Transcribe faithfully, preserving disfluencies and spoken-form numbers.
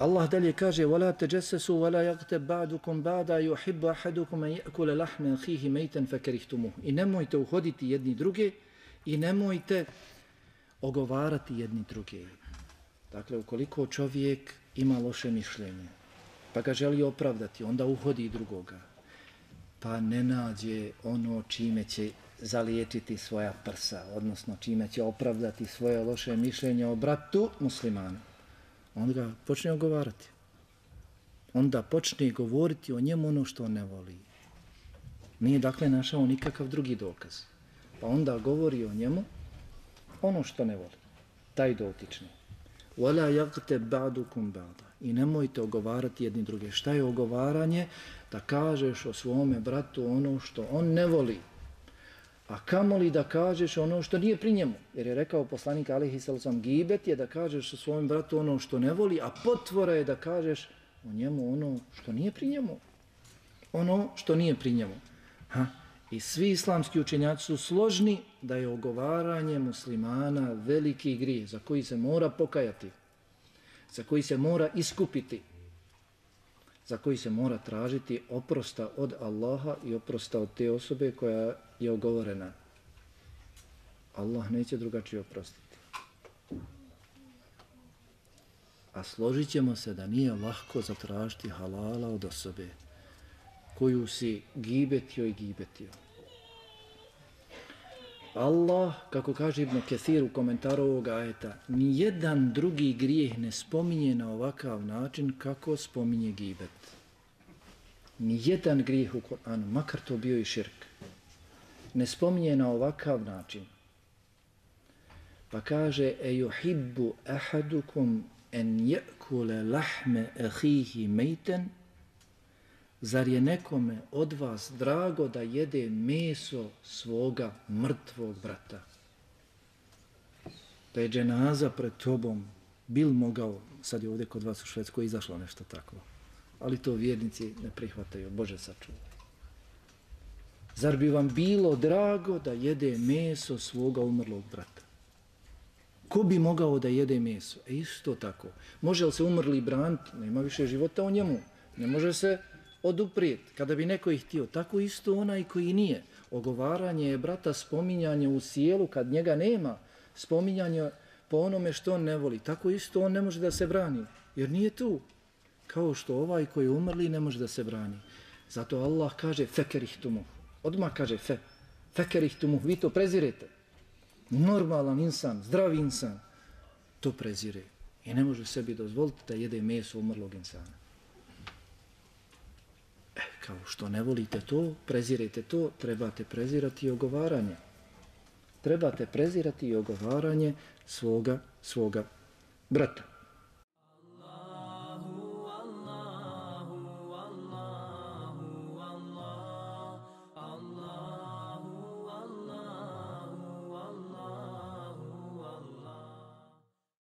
Allah dalje kaže وَلَا تَجَسَّسُوا وَلَا يَغْتَبْ بَعْدُكُمْ بَعْدَ يُحِبُّ أَحَدُكُمْ أَنْ يَأْكُلَ لَحْمَ أَخِيهِ مَيْتًا فَكَرِهْتُمُوهُ. I nemojte uhoditi jedni druge i nemojte ogovarati jedni druge. Dakle, ukoliko čovjek ima loše mišljenje, pa ga želi opravdati, onda uhodi drugoga, pa ne nađe ono čime će zaliječiti svoja prsa, odnosno čime će opravdati svoje loše mišljenje o bratu muslimanu, onda ga počne ogovarati. Onda počne govoriti o njemu ono što on ne voli. Nije dakle našao nikakav drugi dokaz. Pa onda govori o njemu ono što ne voli. Taj dotični. وَلَا يَغْتَبْ بَعْدُكُمْ بَعْدًا. I nemojte ogovarati jedni druge. Šta je ogovaranje? Da kažeš o svome bratu ono što on ne voli. A kamoli da kažeš ono što nije pri njemu. Jer je rekao poslanik alejhi selam, gibet je da kažeš o svom bratu ono što ne voli, a potvora je da kažeš o njemu ono što nije pri njemu. Ono što nije pri njemu. Ha? I svi islamski učenjaci su složni da je ogovaranje muslimana veliki grijeh za koji se mora pokajati, za koji se mora iskupiti, za koji se mora tražiti oprosta od Allaha i oprosta od te osobe koja je ogovorena. Allah neće drugačije oprostiti. A složit ćemo se da nije lahko zatražiti halala od osobe koju si gibetio i gibetio. Allah, kako kaže Ibn Kathir u komentaru ovoga ajeta, nijedan drugi grijeh ne spominje na ovakav način kako spominje gibet. Nijedan grijeh u Kur'anu, makar to bio i širk, ne spominje na ovakav način. Pa kaže ejuhibbu ahadukum en je'kule lahme ahihi mejten. Zar je nekome od vas drago da jede meso svoga mrtvog brata? Da je dženaza pred tobom, bil mogao, sad je ovdje kod vas u Švedskoj izašlo nešto tako, ali to vjernici ne prihvataju, Bože sačuvaj. Zar bi vam bilo drago da jede meso svoga umrlog brata? Ko bi mogao da jede meso? E isto tako. Može li se umrli braniti? Nema više života u njemu. Ne može se oduprijeti. Kada bi neko ih htio, tako isto onaj koji nije. Ogovaranje je, brata, spominjanje u sjelu kad njega nema. Spominjanje po onome što on ne voli. Tako isto on ne može da se brani. Jer nije tu. Kao što ovaj koji je umrli ne može da se brani. Zato Allah kaže fekerihtumu. Odmah kaže fe. Fekerihtumu. Vi to prezirete. Normalan insan, zdravi insan to prezire. I ne može sebi dozvoliti da jede meso umrlog insana. E, kao što ne volite to, prezirete to, trebate prezirati i ogovaranje. Trebate prezirati i ogovaranje svoga, svoga brata.